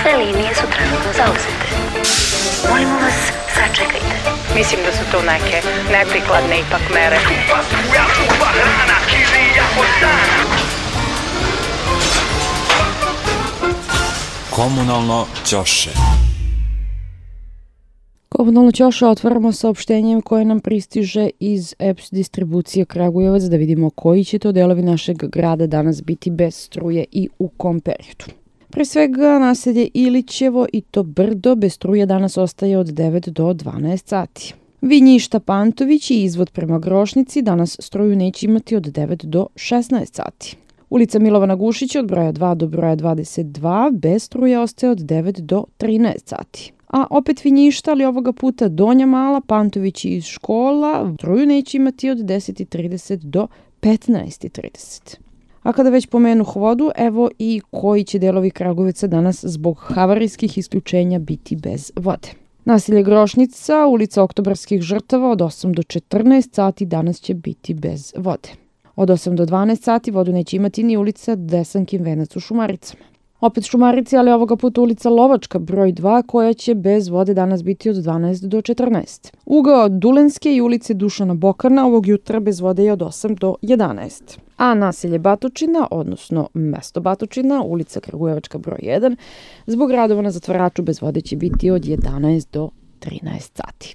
Sve linije su trenutno zauzete. Molimo vas, sačekajte. Mislim da su to neke neprikladne ipak mere. Komunalno ćoše. Komunalno ćoše otvaramo saopštenjem koje nam pristiže iz EPS distribucije Kragujevac da vidimo koji će to delovi našeg grada danas biti bez struje i u kom periodu. Pre svega naselje Ilićevo i to Brdo bez struje danas ostaje od 9 do 12 sati. Vinjišta Pantović i izvod prema Grošnici danas struju neće imati od 9 do 16 sati. Ulica Milovana Gušića od broja 2 do broja 22 bez struje ostaje od 9 do 13 sati. A opet Vinjišta, ali ovoga puta Donja Mala, Pantović iz škola, struju neće imati od 10:30 do 15:30. A kada već pomenuh vodu, evo i koji će delovi Kragujevca danas zbog havarijskih isključenja biti bez vode. Naselje Grošnica, ulica Oktobarskih žrtava od 8 do 14 sati danas će biti bez vode. Od 8 do 12 sati vodu neće imati ni ulica Desankin venac u Šumaricama. Opet Šumarici, ali ovoga puta ulica Lovačka broj 2 koja će bez vode danas biti od 12 do 14. Ugao Dulenske i ulice Dušana Bokana ovog jutra bez vode je od 8 do 11. A naselje Batočina, odnosno mesto Batočina, ulica Kragujevačka broj 1, zbog radova na zatvaraču bez vode će biti od 11 do 13 sati.